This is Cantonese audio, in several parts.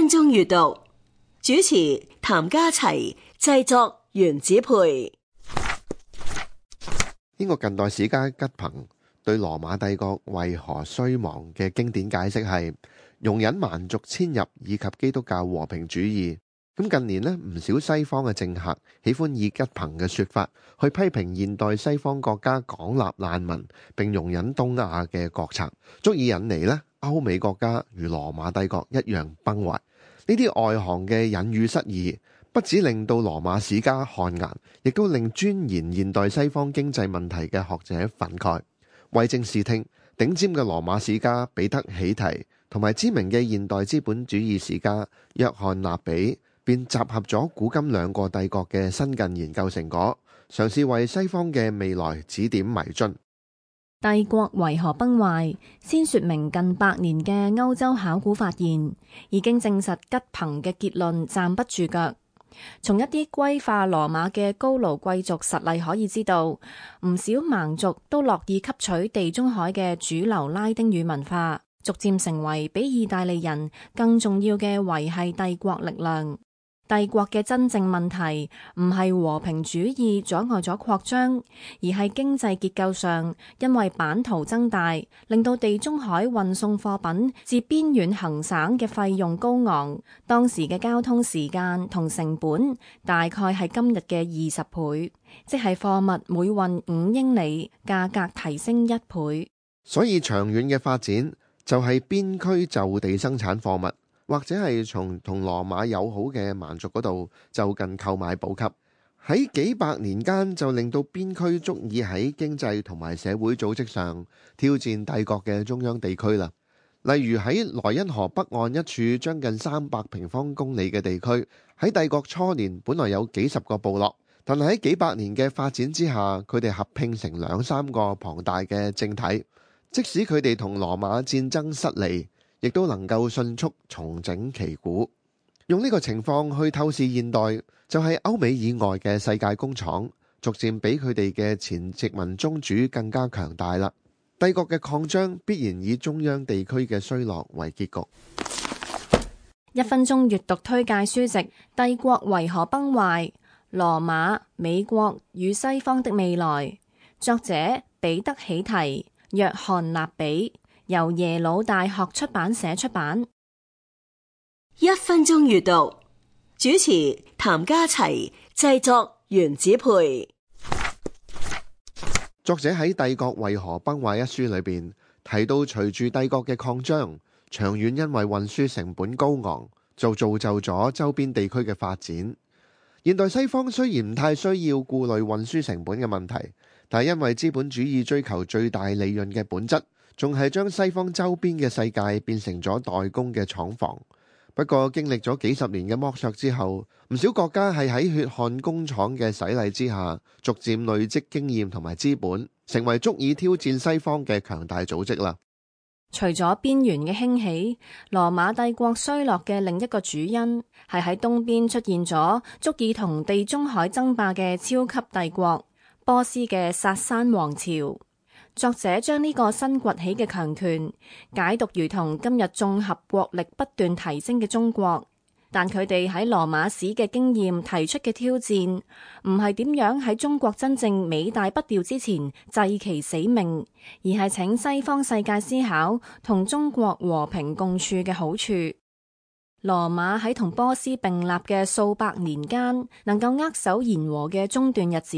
分鐘閱讀，主持譚家齊，製作原子培。英國近代史家吉朋對羅馬帝國為何衰亡嘅經典解釋係容忍蠻族遷入以及基督教和平主義。咁近年呢，唔少西方嘅政客喜歡以吉朋嘅說法去批評現代西方國家廣納難民並容忍東亞嘅國策，足以引嚟呢歐美國家如羅馬帝國一樣崩壞。呢啲外行嘅隱喻失義，不只令到羅馬史家汗顏，亦都令鑽研現代西方經濟問題嘅學者憤慨。為政視聽，頂尖嘅羅馬史家彼得喜提同埋知名嘅現代資本主義史家約翰納比，便集合咗古今兩個帝國嘅新近研究成果，嘗試為西方嘅未來指點迷津。帝國為何崩壞？先說明近百年嘅歐洲考古發現，已經證實吉朋嘅結論站不住腳。從一啲歸化羅馬嘅高盧貴族實例可以知道，唔少蠻族都樂意吸取地中海嘅主流拉丁語文化，逐漸成為比意大利人更重要嘅維繫帝國力量。帝國嘅真正問題唔係和平主義阻礙咗擴張，而係經濟結構上，因為版圖增大，令到地中海運送貨品至邊遠行省嘅費用高昂。當時嘅交通時間同成本大概係今日嘅20倍，即係貨物每運5英里，價格提升1倍。所以長遠嘅發展就係邊區就地生產貨物，或者係從同羅馬友好嘅蠻族嗰度就近購買補給，喺幾百年間就令到邊區足以喺經濟同埋社會組織上挑戰帝國嘅中央地區啦。例如喺萊茵河北岸一處將近300平方公里嘅地區，喺帝國初年本來有幾十個部落，但係喺幾百年嘅發展之下，佢哋合併成2-3個龐大嘅政體。即使佢哋同羅馬戰爭失利，亦都能夠迅速重整旗鼓。用呢個情況去透視現代，就係歐美以外嘅世界工廠逐漸比佢哋嘅前殖民宗主更加強大啦。帝國嘅擴張必然以中央地區嘅衰落為結局。1分鐘閱讀推介書籍《帝國為何崩壞？羅馬、美國與西方的未來》，作者彼得喜提、約翰納比，由耶魯大學出版社出版。1分鐘閱讀，主持譚家齊，製作原子培。作者喺《帝國為何崩壞》一書裏邊提到，隨住帝國嘅擴張，長遠因為運輸成本高昂，就造就咗周邊地區嘅發展。現代西方雖然唔太需要顧慮運輸成本嘅問題，但係因為資本主義追求最大利潤嘅本質，仲係將西方周邊嘅世界變成咗代工嘅廠房。不過經歷咗幾十年嘅剝削之後，唔少國家係喺血汗工廠嘅洗禮之下，逐漸累積經驗同埋資本，成為足以挑戰西方嘅強大組織啦。除咗邊緣嘅興起，羅馬帝國衰落嘅另一個主因係喺東邊出現咗足以同地中海爭霸嘅超級帝國——波斯嘅薩珊王朝。作者將呢個新崛起嘅強權解讀如同今日綜合國力不斷提升嘅中國，但佢哋喺羅馬史嘅經驗提出嘅挑戰，唔係點樣喺中國真正尾大不掉之前祭其死命，而係請西方世界思考同中國和平共處嘅好處。羅馬喺同波斯並立嘅數百年間，能夠握手言和嘅中段日子，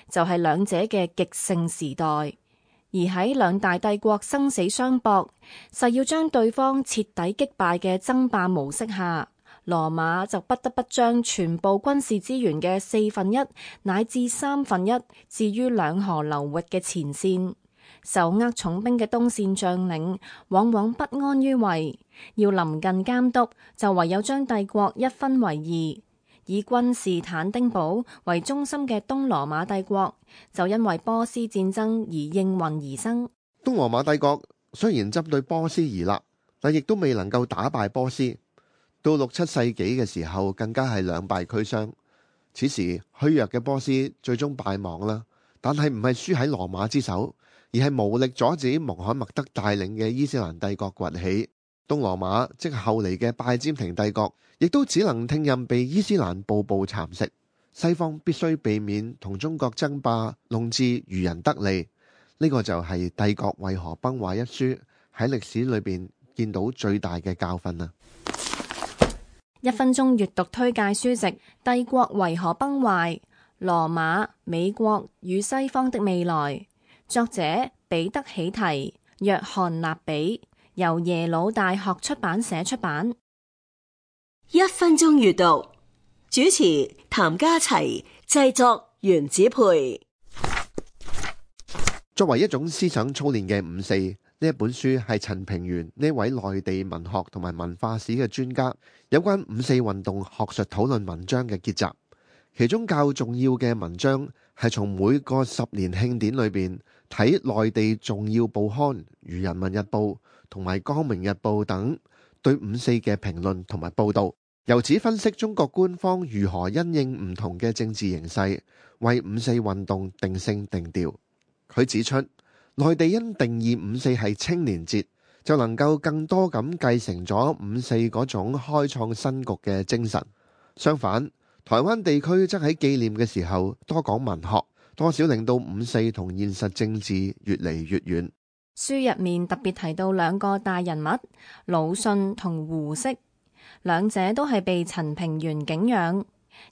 就係兩者嘅極盛時代。而喺兩大帝國生死相搏，誓要將對方徹底擊敗嘅爭霸模式下，羅馬就不得不將全部軍事資源嘅1/4乃至1/3置於兩河流域嘅前線。手握重兵嘅東線將領往往不安於位，要臨近監督，就唯有將帝國一分為二。以君士坦丁堡為中心嘅東羅馬帝國，就因為波斯戰爭而應運而生。東羅馬帝國雖然針對波斯而立，但亦都未能夠打敗波斯。到6、7世紀嘅時候，更加係兩敗俱傷。此時虛弱嘅波斯最終敗亡啦，但係唔係輸喺羅馬之手，而係無力阻止穆罕默德帶領嘅伊斯蘭帝國崛起。東羅馬即後嚟嘅拜占庭帝國，亦都只能聽任被伊斯蘭步步蠶食。西方必須避免同中國爭霸，弄至漁人得利。呢個就係《帝國為何崩壞》一書喺歷史裏邊見到最大嘅教訓啦。1分鐘閱讀推介書籍《帝國為何崩壞：羅馬、美國與西方的未來》，作者彼得喜提、約翰納比，由耶魯大學出版社出版。1分鐘閱讀，主持譚家齊，製作原子配。作為一種思想操練嘅五四，呢一本書係陳平原呢位內地文學同埋文化史嘅專家有關五四運動學術討論文章嘅結集。其中較重要嘅文章係從每個10年慶典裏邊睇內地重要報刊如人民日報同埋光明日報等對五四嘅評論同埋報道，由此分析中國官方如何因應唔同嘅政治形勢為五四運動定性定調。佢指出，內地因定義五四係青年節，就能夠更多咁繼承咗五四嗰種開創新局嘅精神。相反，台灣地區則喺紀念嘅時候多講文學，多少令到五四同現實政治越嚟越遠。書入面特別提到2個大人物，魯迅同胡適，兩者都係被陳平原敬仰。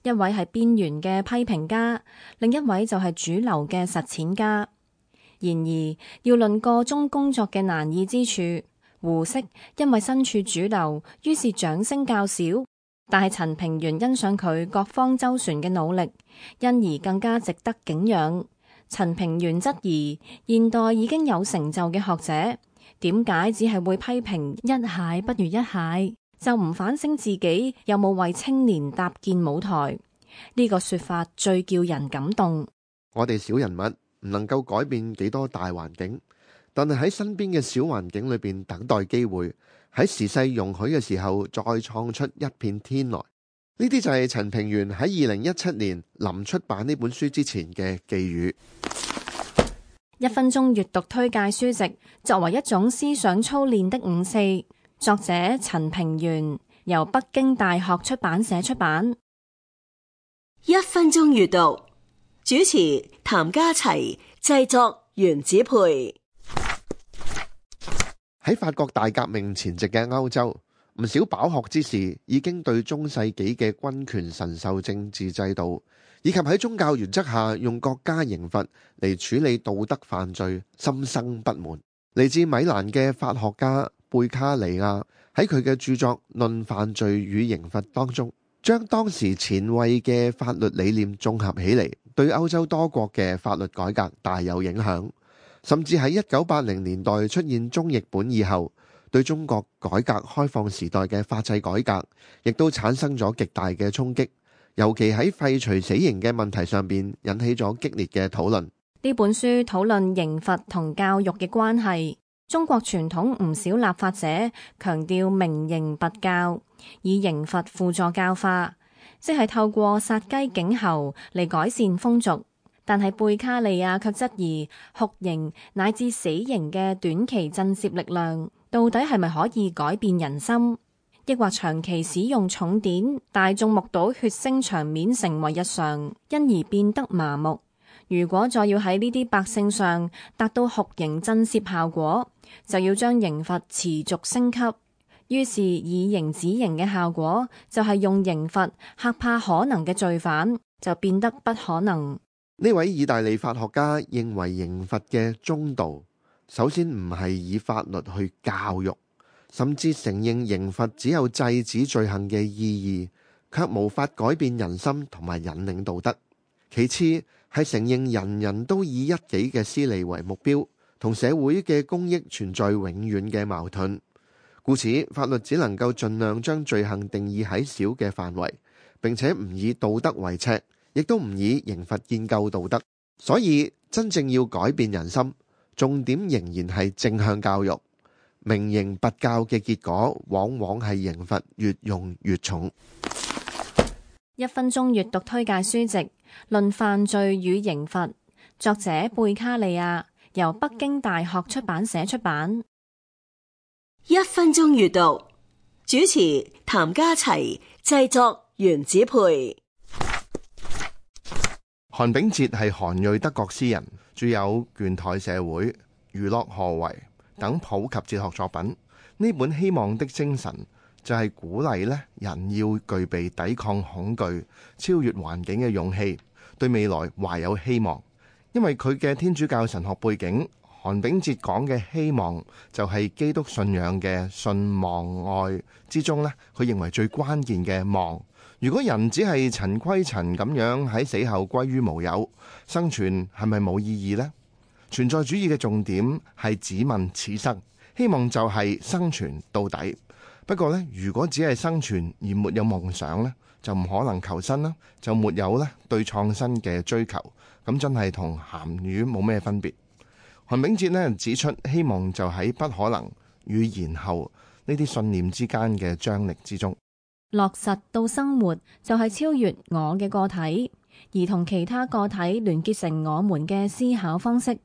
一位係邊緣嘅批評家，另一位就係主流嘅實踐家。然而，要論個中工作嘅難易之處，胡適因為身處主流，於是掌聲較少。但係陳平原欣賞佢各方周旋嘅努力，因而更加值得敬仰。陳平原質疑現代已經有成就嘅學者，點解只係會批評一蟹不如一蟹，就唔反省自己有冇為青年搭建舞台？呢個說法最叫人感動。我哋小人物唔能夠改變幾多大環境，但係喺身邊嘅小環境裏邊等待機會，喺時勢容許嘅時候再創出一片天來。呢啲就係陳平原喺2017年臨出版呢本書之前嘅寄語。1分鐘閱讀推介書籍，作為一種思想操練的五四，作者陳平原，由北京大學出版社出版。1分鐘閱讀，主持譚家齊，製作原子配。喺法國大革命前夕嘅歐洲，唔少飽學之士已經對中世紀嘅君權神授政治制度，以及喺宗教原則下用國家刑罰嚟處理道德犯罪心生不滿。嚟自米蘭嘅法學家貝卡利亞喺佢嘅著作《論犯罪與刑罰》當中，將當時前衛嘅法律理念綜合起嚟，對歐洲多國嘅法律改革大有影響。甚至喺1980年代出現中譯本以後，對中國改革開放時代嘅法制改革，亦都產生咗極大嘅衝擊。尤其喺廢除死刑嘅問題上邊，引起咗激烈嘅討論。呢本書討論刑罰同教育嘅關係。中國傳統唔少立法者強調明刑拔教，以刑罰輔助教化，即係透過殺雞儆猴嚟改善風俗。但係貝卡利亞卻質疑酷刑乃至死刑嘅短期震懾力量，到底係咪可以改變人心？抑或長期使用重典，大眾目睹血腥場面成為日常，因而變得麻木？如果再要喺呢啲百姓上達到酷刑震懾效果，就要將刑罰持續升級。於是以刑止刑嘅效果，就係用刑罰嚇怕可能嘅罪犯，就變得不可能。呢位意大利法學家認為刑罰嘅中道，首先唔係以法律去教育，甚至承認刑罰只有制止罪行嘅意義，卻無法改變人心同埋引領道德。其次係承認人人都以一己嘅私利為目標，同社會嘅公益存在永遠嘅矛盾。故此，法律只能夠盡量將罪行定義喺小嘅範圍，並且唔以道德為尺，亦都唔以刑罰建構道德。所以真正要改變人心，重點仍然係正向教育。明刑拔教嘅結果，往往係刑罰越用越重。1分鐘閱讀推介書籍《論犯罪與刑罰》，作者貝卡利亞，由北京大學出版社出版。1分鐘閱讀，主持譚家齊，製作原子配。韓炳哲係韓裔德國詩人，著有《倦怠社會》、《娛樂何為》等普及哲學作品。呢本《希望的精神》就係鼓勵咧人要具備抵抗恐懼、超越環境嘅勇氣，對未來懷有希望。因為佢嘅天主教神學背景，韓炳哲講嘅希望就係基督信仰嘅信望愛之中咧，佢認為最關鍵嘅望。如果人只係塵歸塵咁樣喺死後歸於無有，生存係咪冇意義呢？存在主義嘅重點係只問此生，希望就係生存到底。不過呢，如果只係生存而沒有夢想呢，就唔可能求生啦，就沒有呢對創新嘅追求，咁真係同鹹魚冇咩分別。韓炳哲呢指出，希望就喺不可能與然後呢啲信念之間嘅張力之中。落實到生活就係超越我嘅個體，而同其他個體聯結成我們嘅思考方式。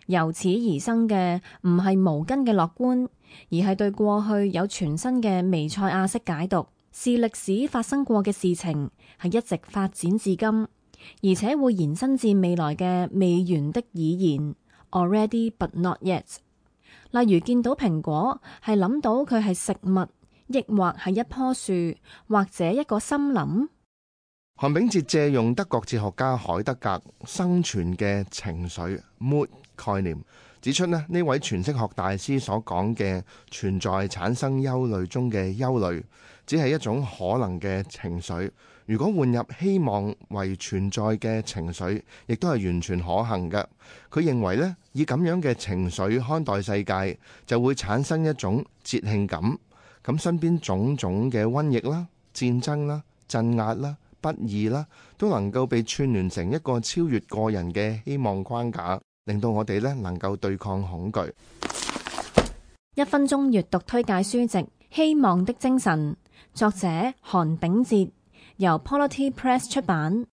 由此而生嘅唔係無根嘅樂觀，而係對過去有全新嘅彌賽亞式解讀，是歷史發生過嘅事情，係一直發展至今，而且會延伸至未來嘅未完的已然 （already but not yet）。例如見到蘋果，係諗到佢係食物，抑或係一棵樹，或者一個森林。韓炳哲借用德國哲學家海德格生存嘅情緒 mood 概念，指出呢位詮釋學大師所講嘅存在產生憂慮中嘅憂慮，只係一種可能嘅情緒。如果換入希望為存在嘅情緒，亦都係完全可行嘅。佢認為呢，以咁樣嘅情緒看待世界，就會產生一種節慶感。咁身邊種種嘅瘟疫啦、戰爭啦、鎮壓啦、不義啦，都能夠被串聯成一個超越個人嘅希望框架，令到我哋呢能夠對抗恐懼。1分鐘閱讀推介書籍《希望的精神》，作者韓炳哲，由 Polity Press 出版。